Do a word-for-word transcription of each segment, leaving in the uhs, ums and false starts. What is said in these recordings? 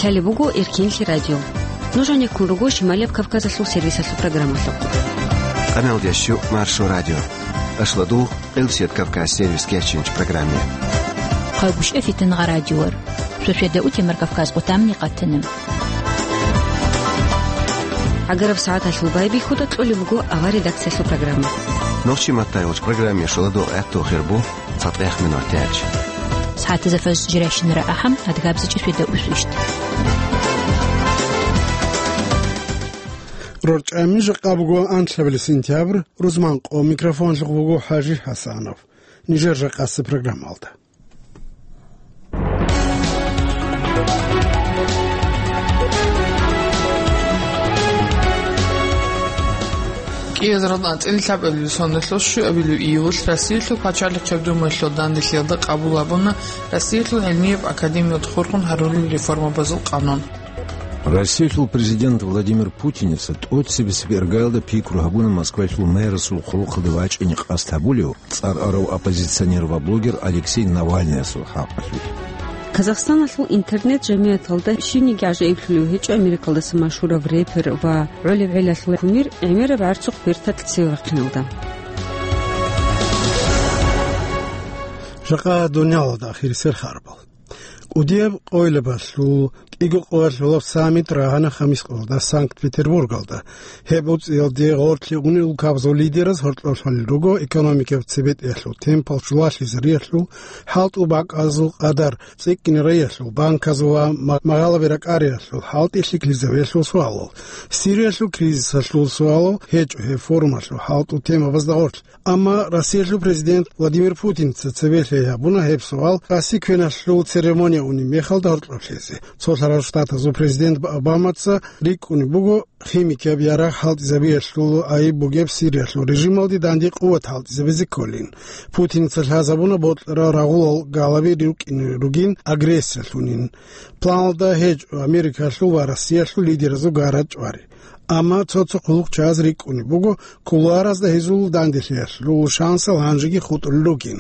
Лъалеб буго Эркенлъи радио. Нуж гьанеккун руго Шималияб Кавказалъул сервисалъул программалъухъ. Къаналдящу Маршо радио. Ашладул Къилсият Кавказ сервис кечинч программе. Хъайбушев Фитангъа радиор. Сосведа утемар Кавказ къутамни къатана. Агараб сагӀаталъул байбихьуда кьолеб буго авар редакциялъул программа. Нохчи маттайгъуч программе шуладул гӀатту хирбу цатӀех минут тяч. СагӀатазда фаз жиращинара ахӀам, адгабзичӀи сосведа усвищт. РорчӀами жакъа буго анлъабилеб сентябрь, рузман къо микрофонлъухъ буго ХӀажи ХӀасанов. Нижер жакъасеб программалда. КӀиазарал анцӀила лъабабилеб соналъул щуабилеб июлалъ Россиялъул пачалихъ гьаб Думаялъул данделъиялда къабул гьабуна Россиялъул гӀилмияб академиялда хурхун гьарулел реформабазул къанун. Россиялъул президент Владимир Путиница тӀоцебесеб иргаялда пикру гьабуна Москвалъул мэрасул хъулухъалде вачӀине къасд гьабулев цӀар арав оппозиционер ва блогер Алексей Навальныясул хӀакъалъулъ. Казахстаналъул интернет-жамигӀаталда щибниги гӀажаиблъулев гьечӀо Америкалдаса машгьурав репер ва гӀолеб гӀелалъул кумир гӀемераб гӀарцухъ берталъ цеве вахъиналда. Жакъа дуниялалда ахирисел харбал. КӀудияб къойилабалъул кӀиго къоялъулаб саммит рагӀана хамис къоялда Санкт-Петербургалда. Гьеб уцӀиялде гъорлъе унел улкабазул лидераз гьоркьоб лъалел руго экономикаб цебетӀиялъул темпал чулалъизариялъул, хӀалтӀул бакӀазул къадар цӀикӀкӀине райялъул, банказул ва ма-, магъалаби ракӀариялъул, хӀалтӀи лъикӀлъизабиялъул суалал, Сириялъул кризисалъул суалал гьечӀо гьеб форумалъул хӀалтӀул темабазда гъорлъ. Амма Россиялъул президент Владимир Путинца цебе лъай гьабуна гьеб суал Росси квеналъул церемония унеб мехалда гьоркьоб лъезе. Цо лъарал штатазул президент Обамаца рикӀкӀунеб буго химикияб ярагъ хӀалтӀизабиялъул айиб бугеб Сириялъул режималде данде къуват хӀалтӀизабизе кколин. Путинца лъазабуна бокьарал рагъулал галаби рукӀине ругин агрессиялъунин. Планалда гьечӀо Америкалъул ва Россиялъул лидеразул гара чӀвари. Амма цо-цо хъулухъчияз рикӀкӀунеб буго, кулуаразда гьезул данделъиялъул шансал гьанжеги хутӀулел ругин.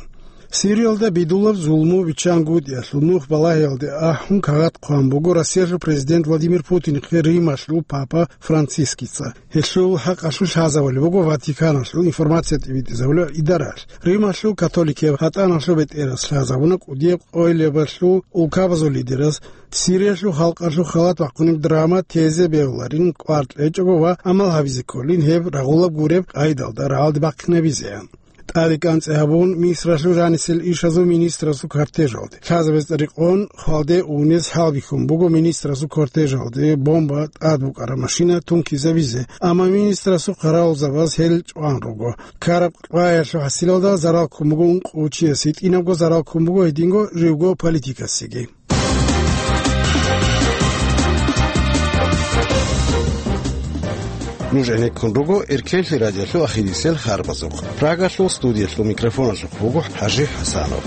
Сириялда бидулаб зулму биччангутӀиялъул нух балагьиялде ахӀун кагъат хъван буго Россиялъул президент Владимир Путинихъе Рималъул папа Францискица. Гьелъул хӀакъалъулъ лъазабулеб буго Ватиканалъул информация тӀибитӀизабулеб идараялъ. Рималъул католикияб гьатӀаналъул бетӀерас лъазабуна кӀудияб къоялъулаб улкабазул лидераз Сириялъул халкъалъул халат бахъунеб драма тезе бегьуларин кӀвар кьечӀого ва гӀамал гьабизе кколин гьеб рагъулаб гуреб къайдалда рагӀалде бахъинабизеян. ТӀаде кӀанцӀи гьабун, Мисралъул жанисел ишазул министрасул кортежалде. Лъазабизе рекъон хвалде унез хӀалбихьун буго министрасул кортежалде бомба тӀад букӀараб машина тункизабизе, амма министрасул хъаравулзабаз гьел чӀван руго. Ккараб къваялъул хӀасилалда зарал ккун буго ункъо чиясе, гьитӀинабго зарал ккун буго гьединго живго политикасеги. Нуж гӀенеккун руго Эркенлъи радиолъул ахирисел харбазухъ. Прагалъул студиялъул микрофоналъухъ буго ХӀажи ХӀасанов.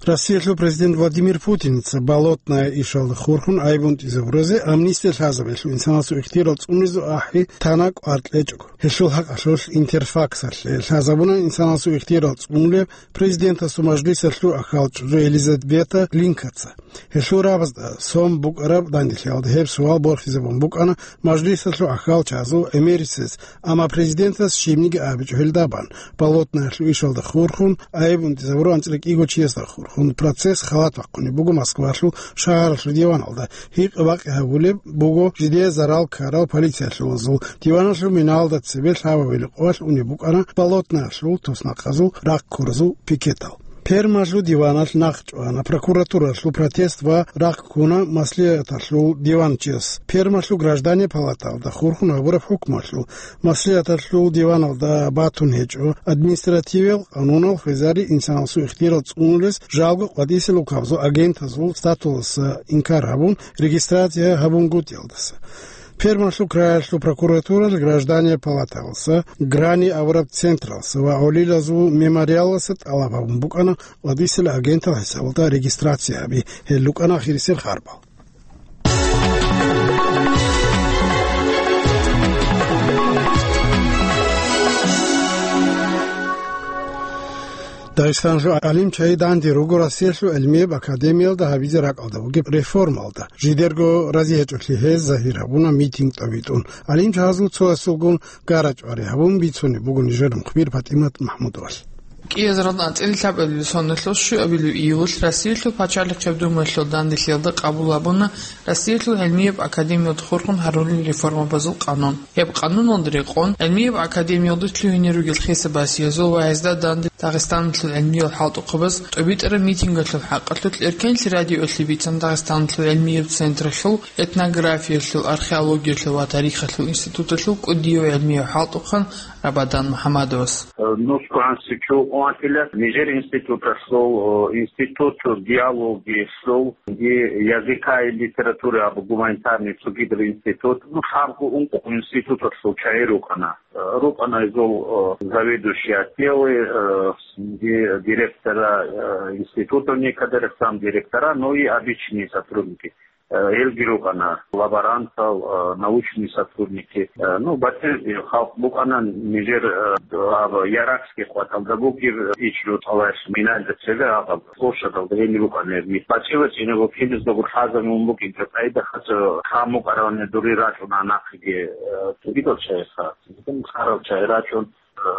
Россиялъул президент Владимир Путинца Болотная ишалда хурхун айбунтӀизабуразе амнистия лъазабиялъул инсанасул ихтияр цӀунизе ахӀи тана кӀвар кьечӀого. Гьелъул хӀакъалъулъ Интерфаксалъе лъазабуна инсанасул ихтияр цӀунулеб президентасул мажлисалъул ахьалчӀвай Елизавета Глинкаца. Гьелъул рабазда сон букӀараб данделъиялда гьеб суал борхизабун букӀана мажлисалъул ахьалчазул гӀемерисез, амма президентас щибниги абичӀо гьелда бан. Болотнаялъул ишалда хурхун, айбунтӀизабураб анцӀила кӀиго чиясда хурхун процесс халат бахъунеб буго Москвалъул шагьаралъул диваналда. Гьикъа-бакъи гьабулеб буго жидее зарал ккарал полициялъулазул, диваналъул миналда цебе лъабабилеб къоялъ унеб букӀана Болотнаялъул туснахъазул рахъ ккуразул пикетал. Пермалъул диваналъ нахъ чӀвана прокуратуралъул протест ва рахъ ккуна маслигӀаталъул диванчияс. Пермалъул граждане палаталда хурхун гьабураб хӀукмуялъул маслигӀаталъул диваналда батун гьечӀо административиял къанунал хвезари инсанасул ихтияр цӀунулес жалго къватӀисел улкабазул агентазул статусалдаса инкар гьабун, регистрация гьабунгутӀиялдаса. Пермалъул краялъул прокуратуралъ граждане палаталдаса, Грани авараг централдаса ва гӀолилазул мемориалалдаса тӀалаб гьабун букӀана къватӀисел агентал хӀисабалда регистрация гьаби. Гьел рукӀана ахирисел харбал. Дагъистанлъул гӀалимчагӀи данде руго Россиялъул гӀилмияб академиялда гьабизе ракӀалда бугеб реформалда. Жидерго разигьечӀолъи гьез загьир гьабуна митинг тӀобитӀун. ГӀалимчагӀазул цоясулгун гара-чӀвари гьабун бицунеб буго нижер мухбир ПатӀимат МахӀмудовалъ. КӀиазаралда анцӀила лъабабилеб соналъул щуабилеб июлалъ Россиялъул пачалихъияб Думаялъул данделъиялда къабул гьабуна Россиялъул гӀилмияб академиялда хурхун гьарулел реформабазул къанун. Гьеб къануналда рекъон, гӀилмияб академиялда лъугьине ругел хисаб-басиязул ва гьезда данде Дагъистаналъул гӀилмиял хӀалтӀухъабаз тӀобитӀараб митингалъул хӀакъалъулъ Эркенлъи радиоялъе бицана Дагъистаналъул гӀилмияб централъул этнографиялъул, археологиялъул ва тарихалъул институталъул кӀудияв гӀилмияв хӀалтӀухъан Рабадан МухӀамадовас. Ну, сквансичу къватила, нижер институталъул, институт диалогиялъул, и языка и литературы абу гуманитарный цогидаб институт, ну, лъабго ункъо институталъул чагӀи рукӀана. РукӀана изул, э, заведующий отделы, э, ди-, директора, э, институтов некоторых, сам директора, ну и обычные сотрудники. Э, гьелги рукӀана лаборантал, э, научные сотрудники. Э, ну, батир, э, халкъ букӀана нижер, э, аб-, Яракский къватӀалда бугеб, э, ичӀ-рутӀалаялъ миналда цебе аб-, площадалда гьениб букӀана гьеб. БачӀила чинаб киназдаго лъазабун букӀинчӀо къайда хъацӀа гьамукъаравани дури рачӀуна нахъеги, э, цогидал чагӀиха. Харал чагӀи рачӀун, э,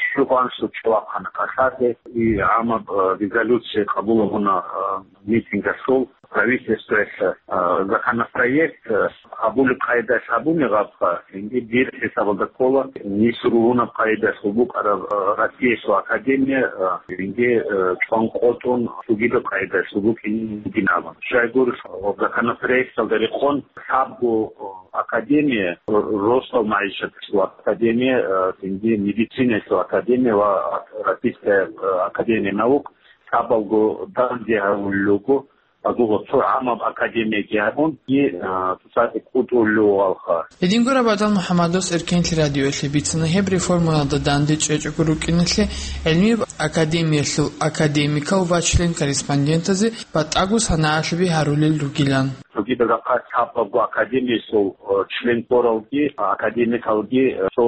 щугъан суччавахъана кӀалъазе, и гӀамаб, э, резолюция къабул гьабуна, э, митингалъул правительствоялъ, э, законопроект, э, абулеб къайдалъ абуни гъабха, инги дир хӀисабалда ккола, нисрулунаб къайдалъул букӀараб, э, Россиялъул академия, э, инги, э, чӀван къотӀун цогидаб къайдалъул букӀин бугин абун. Щайгурелъ, э, законопроекталда рекъон лъабго, э, академия, р-, росдал магӀишаталъул академия, э, цинги медицинаялъул академия ва Российская, э, академия наук лъабалго данде гьарулел руго, агуба цо гӀамаб академияги гьабун, и, э, цоцазде кӀутӀулев вугӀалха. Гьединго Рабадан МухӀамадовас Эркенлъи радиоялъе бицана гьеб реформаялда данде чӀечӀого рукӀиналъе гӀилмияб академиялъул академикал ва член-корреспондентазе батӀаго санагӀалъуби гьарулел ругилан. Цогидаб рахъалъ лъабабго академиясул, э, член ккоралги, академикалги, э, цо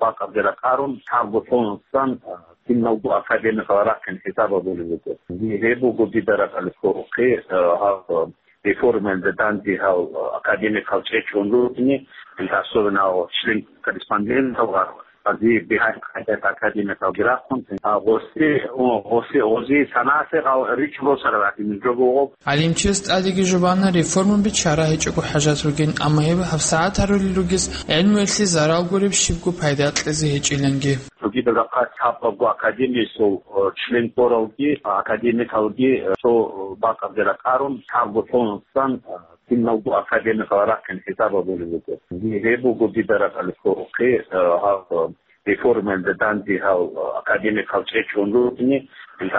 бакӀалде ракӀарун, лъабго цоцазда, э, киналго академикал рахъин хӀисаб гьабулеб буго. Гьеб буго дида ракӀалде кколеб, э, гьаб, э, реформаялда данде гьал, э, академикал чӀечӀун ругони, особенно гьал член-корреспондентал гьал. Ази бигьан къайдат академиялги рахъун, а, гъоси, о, гъоси, гъози санасе гъал ричӀ росарал гьадин жо буго. ГӀалимчияс тӀадеги жубана реформаби чара гьечӀого хӀажат ругин, амма гьеб гьабсагӀат гьарулел ругес гӀилмуялъе зарал гуреб щибго пайда кьезе гьечӀиланги. Цогидаб рахъалъ лъабабго академиясул, о, член ккоралги, академикалги, э, цо бакӀалде ракӀарун, лъабго цоцазда, э, киналго академикал рахъин хӀисаб гьабулеб буго. Гьеб буго дида ракӀалде кколеб, э, гьаб, э, реформаялда данде гьал, э, академикал чӀечӀун ругони,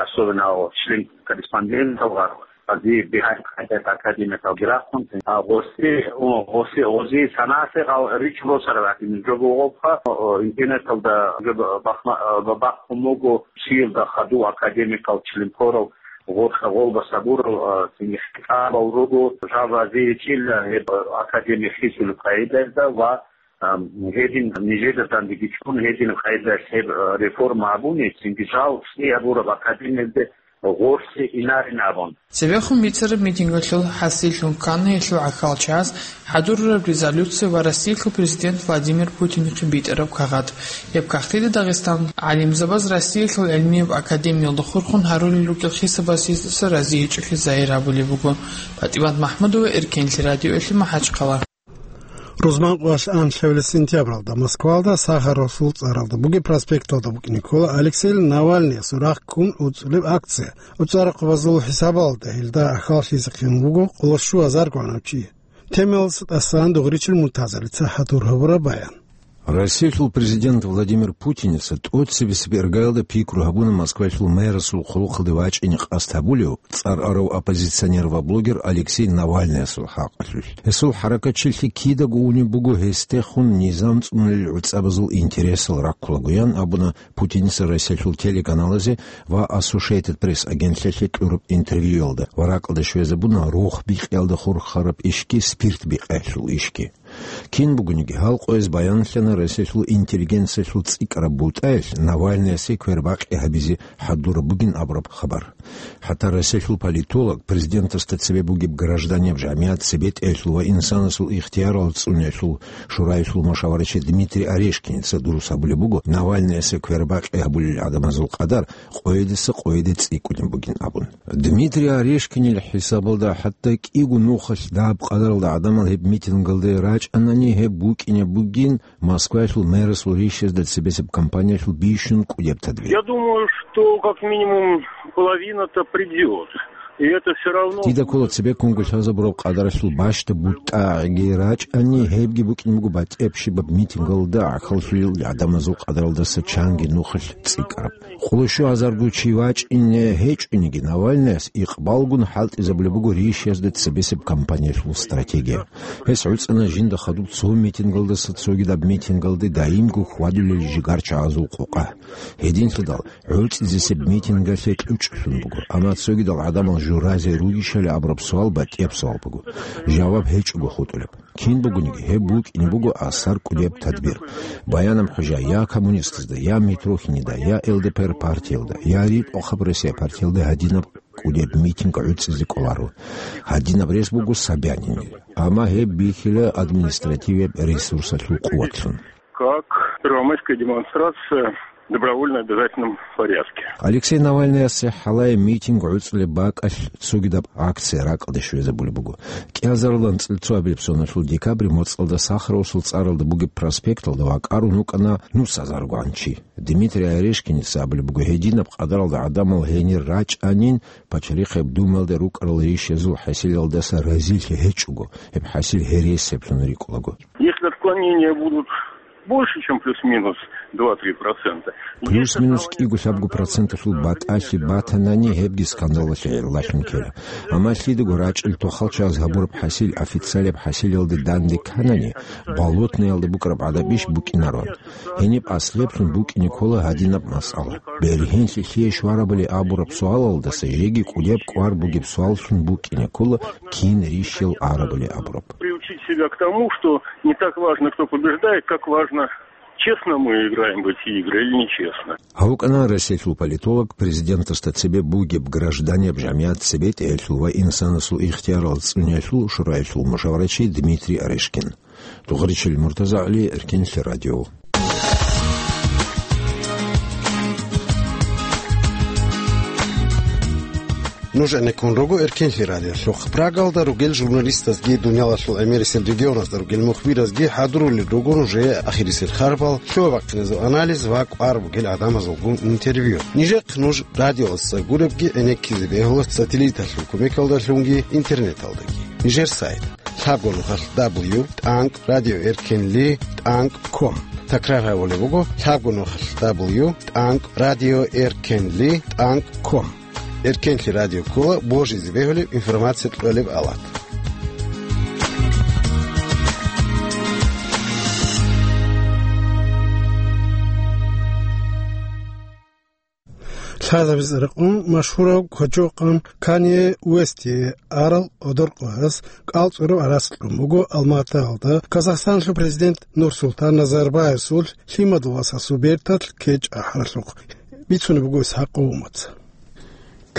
особенно гьал член-корреспондентал гьал, ази бигьан къайдат академиялги рахъун, а, гъоси, о, гъоси, гъози санасе гъал ричӀ росарал гьадин жо буго гъабха, о, интернеталда жо бахма-, э, бахъун буго, чиялда хадув академикал член ккорал, гъоркьа гъолба сабурал, а, цинги хӀисабал руго, жал разиличӀила гьеб академия хисулеб къайдаялда ва, а, гьедин нижеда дандеги чӀун, гьедин къайдаялъ гьеб, а, реформа гьабуни, цинги жал цӀи гьабураб академиялде гъоркье инарин абун. Цебехун бицараб митингалъул хӀасиллъун ккана гьелъул гӀахьалчагӀаз хӀадурараб резолюция ва Россиялъул президент Владимир Путинихъе битӀараб кагъат. Гьеб кагътида Дагъистаналъул гӀалимзабаз Россиялъул гӀилмияб академиялда хурхун гьарулел ругел хисаб-басиздаса разигьечӀолъи загьир гьабулеб буго. ПатӀимат МахӀмудова, Эркенлъи радиоялъе, МахӀачхъала. Рузман къоялъ анлъабилеб сентябралда Москвалда Сахаровасул цӀаралда бугеб проспекталда букӀине ккола Алексей Навальныясул рахъ ккун гӀуцӀулеб акция. ГӀуцӀарахъабазул хӀисабалда гьелда гӀахьаллъизехъин буго къоло щуго гьазар гьанав чи. Темаялдаса тӀасан Дугъричил Муртазалица хӀадур гьабураб баян. Россиялъул президент Владимир Путиница тӀоцебесеб иргаялда пикру гьабуна Москвалъул мэрасул хъулухъалде вачӀине къасд гьабулев цӀар арав оппозиционер ва блогер Алексей Навальныясул хӀакъалъулъ. Гьесул хӀаракатчилъи кидаго унеб буго гьесдехун низам цӀунулел гӀуцӀабазул интересал раккулагоян абуна Путиница Россиялъул телеканалазе ва Associated Press агентлъиялъе кьураб интервьюялда ва ракӀалде щвезабуна рохбикьиялда хурхараб ишги спирт бикъиялъул ишги. Кин бугониги, гьал къояз баянлъана Россиялъул интеллигенциялъул цӀикӀкӀараб бутӀаялъ Навальныясе квербакъи гьабизе хӀадураб бугин абураб хабар. ХӀатта Россиялъул политолог, президентасда цебе бугеб гражданияв жамигӀат цебетӀеялъул ва инсанасул ихтиярал цӀуниялъул шураялъул машаварачи Дмитрий Орешкиница дурус абулеб буго, Навальныясе квербакъи гьабулел гӀадамазул къадар къоядаса къояде цӀикӀкӀунеб бугин абун. Дмитрий Орешкинил хӀисабалда, хӀатта кӀиго нухалъ дагьаб къадаралда гӀадамал гьеб митингалде рачӀанани, гьеб букӀине бугин Москваялъул мэрасул ришазда цебесеб кампаниялъул бищун кӀудеб тадбир. Я думаю, что как минимум половина-то придёт. И это всё равно... Дида ккола цебеккунго лъазабураб къадаралъул бащдаб бутӀа гӀеги рачӀани, гьебги букӀин буго батӀияб щибаб митингалда гӀахьаллъулел гӀадамазул къадаралдаса чанги нухалъ цӀикӀкӀараб. Къоло щугьазарго чи вачӀине гьечӀониги, Навальныяс икъбалгун хӀалтӀизабулеб буго ришазда цебесеб кампаниялъул стратегия. Гьес гӀуцӀана жинда хадуб цо митингалдаса цогидаб митингалде даимго хьвадулел жигарчагӀазул къокъа. Гьединлъидал гӀуцӀизесеб митингалъе кьучӀлъун буго, амма цогидал гӀадамал журазе ругищали абураб суал батӀияб суал буго, жаваб гьечӀого хутӀулеб. Кин бугониги, гьеб букӀине буго асар кӀудеб тадбир. Баянаб хӀужа я коммунистазда, я Митрохинида, я Л Д П Р партиялда, я РитӀухъаб Россия партиялда гьадинаб кӀудеб митинг гӀуцӀизе кӀоларо. Гьадинаб рес буго Собянинил. Амма гьеб бихьила административияб ресурсалъул къуватлъун. Как первомайская демонстрация в добровольно-обязательном порядке. Алексей Навальныясе хӀалае митинг гӀуцӀулеб бакӀалъ цогидаб акция ракӀалде щвезабулеб буго. КӀиазарилан цӀилцӀабилеб соналъул декабрь моцӀалда Сахаровасул цӀаралда бугеб проспекталда вакӀарун вукӀана нусазаргогӀан чи. Дмитрий Орешкиница абулеб буго, гьединаб къадаралда гӀадамал гьенир рачӀанин, пачалихъеб Думаялда рукӀарал ришазул хӀасилалдаса разилъи гьечӀого, гьеб хӀасил гьересиблъун рикӀкӀунаго. Если отклонения будут больше, чем плюс-минус два-три процента. Плюс-минус кӀиго-лъабго проценталъул батӀалъи батанани, гьебги скандалалъе гӀерладлъун ккела. Амма лъидаго рачӀел тохалчагӀаз гьабураб хӀасил официалияб хӀасилалде данде кканани, болотноялда букӀараб гӀадабищ букӀинароан. Гьениб аслиблъун букӀине ккола гьадинаб масъала. Бергьенлъи лъие щварабали абураб суалалдаса жеги кӀудеб кӀвар бугеб суаллъун букӀине ккола кин рищел арабали абураб. Приучить себя к тому, что не так важно, кто побеждает, как важно, честно мы играем в эти игры или нечестно. Гьав вукӀана Россиялъул политолог, президентасда цебе бугеб гражданияб жамигӀат цебетӀеялъул ва инсанасул ихтиярал цӀуниялъул шураялъул мушаварачи Дмитрий Орешкин. Дугъричил Муртазагьли, Эркенлъи радио. Нуж гӀенеккун руго Эркенлъи радиолъухъ. Прагалда ругел журналистазги, дуниялалъул гӀемерисел регионазда ругел мухбиразги хӀадурулел руго нужее ахирисел харбал, лъугьа-бахъиназул анализ ва кӀвар бугел гӀадамазулгун интервью. Нижехъ нуж радиоялдаса гуребги гӀенеккизе бегьула сателлиталъул кумекалдалъунги интернеталдаги. Нижер сайт: лъабго нухалъ дабл ю тӀанкӀ радио эркенли тӀанкӀ ком. Такрар гьабулеб буго: лъабго нухалъ дабл ю тӀанкӀ радио эркенли тӀанкӀ ком. Эркенлъи радио ккола божизе бегьулеб информация кьолеб авлад. Лъазабиз рекъон машгьурав кочокъан Канье Уэсти арал одоркъояс кӀалцӀураб гӀарац кьун буго Алматаялда Казахстаналъул президент Нурсултан Назарбаевасул лъимадул васасул берталъ кечӀ ахӀаралъухъ. Бицунеб буго Исхакъ Умаца.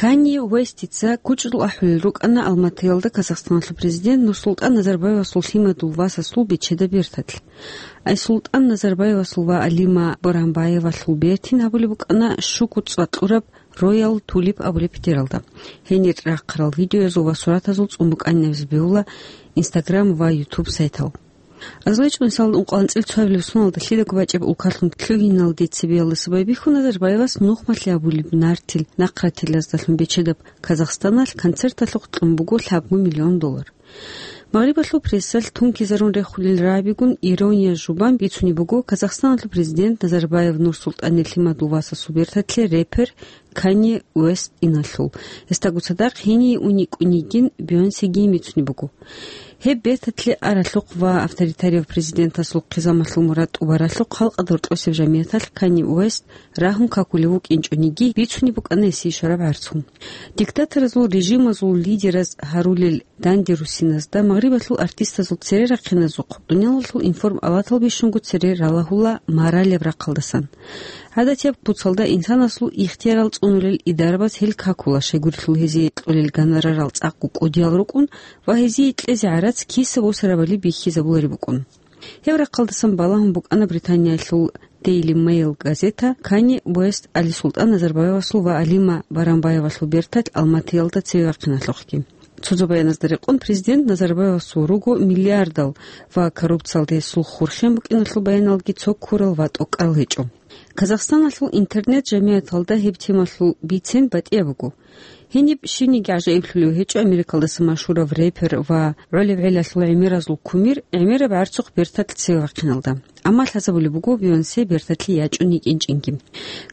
Канье Уэстица кучӀдул ахӀулел рукӀана Алматаялда Казахстаналъул президент Нурсултан Назарбаевасул лъимадул васасул бечедаб берталъ. Айсултан Назарбаевасул ва Алима Боранбаевалъул бертин гьабулеб букӀана щуго цӀакъ кьураб Роял Тулип абулеб петералда. Гьенир рахъарал видеоязул ва суратазул цӀун букӀанин абизе бегьула Instagram ва YouTube сайтал. Азулачи мисалда ункъоялда анцӀила цоабилеб соналда лъидаго бачӀеб улкалъун лъугьиналде цебеялдаса байбихьун Назарбаевас нухмалъи абулеб нартил нахъратилаздалъун бечедаб Казахстаналъ концерталъухъ кьун буго лъабго миллион доллар. Магърибалъул прессалъ тункизарун рехулел рагӀабигун, ирония жубан бицунеб буго Казахстаналъул президент Назарбаев Нурсултанил лъимадул васасул берталъе репер Канье Уэст иналъул. Гьесдаго цадахъ гьение ун йикӀун йигин Бейонсеги бицунеб буго. Гьеб берталъе аралъухъ ва авторитарияв президентасул хъизамалъул мурад тӀубаралъухъ халкъалда гьоркьосеб жамияталъ Канье Уэст рагьун какулев вукӀинчӀониги, бицунеб букӀана гьесие щвараб гӀарцун. Диктаторазул режимазул лидераз гьарулел данде руссиназда Магърибалъул артистазул цере рахъиназухъ дуниялалъул информалатал бищунго цере ралагьула маралеб рахъалдасан. ГӀадатияб куцалда инсанасул ихтиярал цӀунулел идарабаз гьел какула, щайгурелъул гьезие кьолел гонорарал цӀакъго кӀудиял рукӀун ва гьезие кьезе гӀарац киса босарабали бихьизабулареб букӀун. Гьеб рахъалдасан балагьун букӀана Британиялъул Daily Mail газета Канье Уэст Али Султан Назарбаевасул ва Алима Барамбаевалъул берталъ Алматиялда цеве вахъиналъухъги. Цо-цо баяназда рекъон, президент Назарбаевасул руго миллиардал ва коррупциялда гьесул хурхен букӀиналъул баяналги цо ккурал ва тӀокӀарал гьечӀо. Казахстаналъул интернет-жамияталда гьеб темалъул бицен батӀияб буго. Гьениб щибниги гӀажаиблъулев гьечӀо Америкалдаса машгьурав репер ва гӀолеб гӀелалъул гӀемеразул кумир гӀемераб гӀарцухъ берталъ цеве вахъиналда. Амма лъазабулеб буго Бейонсе берталъе ячӀун йикӀинчӀинги.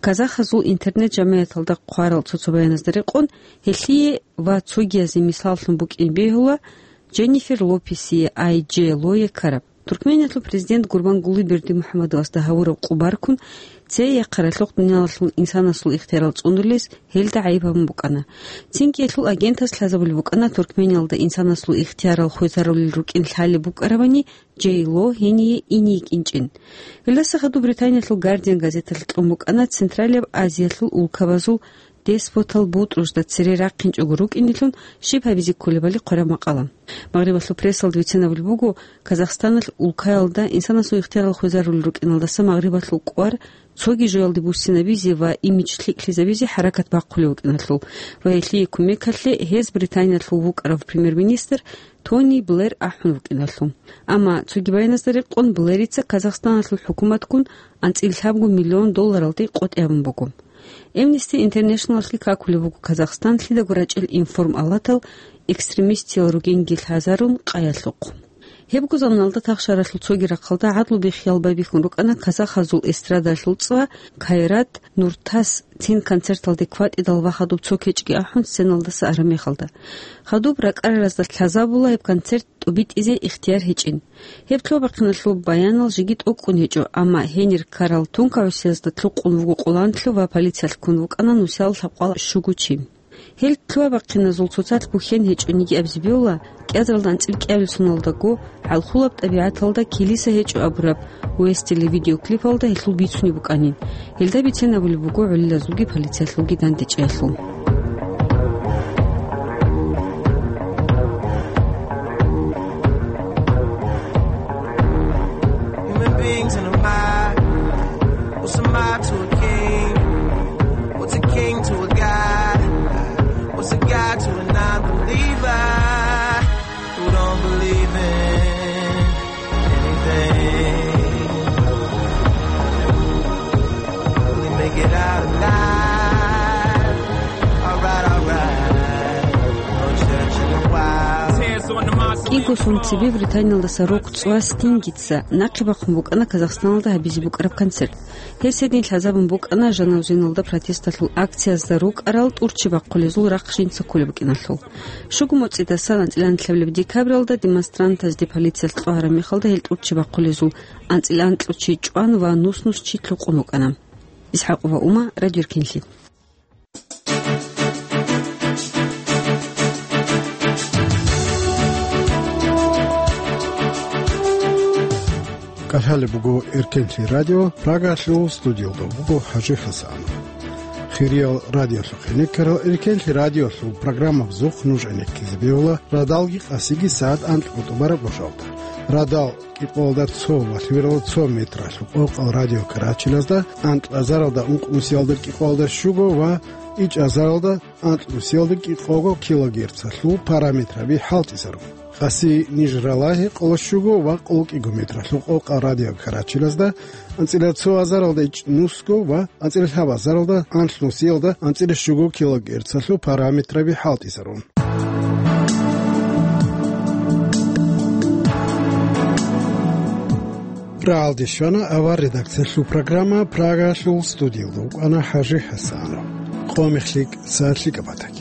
Казахазул интернет-жамияталда хъварал цо-цо баяназда рекъон, гьелъие ва цогиязе мисаллъун букӀин бегьула Дженнифер Лопесие, Ай Дж Лое ккараб. Туркмениялъул президент Гурбангулы Бердимухамедовасда гьавураб къо баркун, цей яхъаралъухъ дуниялалъул инсанасул ихтиярал цӀунулес гьелда гӀайиб гьабун букӀана. Цинги гьелъул агентас лъазабулеб букӀана Туркмениялда инсанасул ихтиярал хвезарулел рукӀин лъалеб букӀарабани, Джей Ло гьение ине йикӀинчӀин. Гьелдаса хадуб Британиялъул Гардиан газеталъ кьун букӀана Централияб Азиялъул улкабазул деспотал бутӀрузда цере рахъинчӀого рукӀинилъун щиб гьабизе кколебали хъвараб макъала. Магърибалъул прессалда бицинабулеб буго, Казахстаналъ улкаялда инсанасул ихтиярал хвезарулел рукӀиналдаса Магърибалъул кӀвар цоги жоялде буссинабизе ва имидж лъикӀлъизабизе хӀаракат бахъулев вукӀиналъул ва гьелъие кумекалъе гьез Британиялъул вукӀарав премьер-министр Тони Блэр ахӀун вукӀиналъул. Амма цоги баяназда рекъон, Блэрица Казахстаналъул хӀукуматгун анцӀила лъабго миллион долларалде къотӀи гьабун буго. Amnesty International-алъги какулеб буго Казахстан лъидаго рачӀел информалатал экстремистиял ругинги лъазарун къаялъухъ. Гьебго заманалда тахшаралъул цоги рахъалда гӀадлу биххиял байбихьун рукӀана казахазул эстрадалъул цӀа Кайрат Нуртас цин концерталде кватӀидал ва хадуб цо кечӀги ахӀун сценалдаса араб мехалда. Хадуб ракӀараразда лъазабула гьеб концерт тӀубитӀизе ихтияр гьечӀин. Гьеб лъугьа-бахъиналъул баянал жеги тӀокӀкӀун гьечӀо, амма гьенир ккарал тункагӀусиязда лъукъун вуго къоланлъи ва полициялъ ккун вукӀана нусиялда лъабкъвал щуго чи. Гьел лъугьа-бахъиназул цоцалъ бухьен гьечӀониги абизе бегьула, кӀиазаралда анцӀила кӀиабилеб соналдаго, хӀалхулаб тӀабигӀаталда килиса гьечӀо абураб Уэстили видеоклипалда гьелъул бицунеб букӀанин. Гьелда бицен абулеб буго гӀолилазулги полициялъулги дандечӀеялъул. Human beings in a mob. What's a mob to a king? What's a king to a god? What's a god to a non-believer who don't believe in anything? Will he make it out alive? Alright, alright. No church in a while. КӀиго сон цебе Британиялдаса рок-цӀва Стингица нахъе бахъун букӀана Казахстаналда гьабизе букӀараб концерт. Гьес гьедин лъазабун букӀана жанавзеналда протесталъул акциязда рукӀарал тӀурччи бахъулезул рахъ жинца кколеб букӀиналъул. Щуго моцӀидасан анцӀила анлъабилеб декабралда демонстрантазде полициялъ кьвагьараб мехалда гьел тӀурччи бахъулезул анцӀила анкьучи чӀван ва нус-нус чи лъукъун букӀана. ИсхӀакъова Ума, Радио Эркенлъи. КӀалъалеб буго Эркенлъи радио, Прагалъул студиялда буго ХӀажи ХӀасан. Хириял радиолъухъе некарал Эркенлъи радиолъул программабазухъ нуж гӀенеккизе бегьула радалги къасиги сагӀат анкьго тӀубараб божалда. Радал кӀикъоялда цо ва лъимералда цо метралъул къокъал радио Карачилазда, анкьазаралда ункънусиялда кӀикъоялда щуго ва ичӀазаралда анкьнусиялда кӀикъого килогерцалъул параметраби хӀалтӀизарун. Къаси Нижраллагьи къоло щуго ва къоло кӀиго метралъул къокъал радио Карачилазда, анцӀила цо азаралда ичӀнусго ва анцӀила лъабазаралда анлънусиялда анцӀила щуго килогерцалъул параметраби хӀалтӀизарун. Рагьалде щвана авар редакциялъул программа, Прагалъул студиялда вукӀана ХӀажи ХӀасанов. Къо мехлъи сагӀат лъикӀаб батани.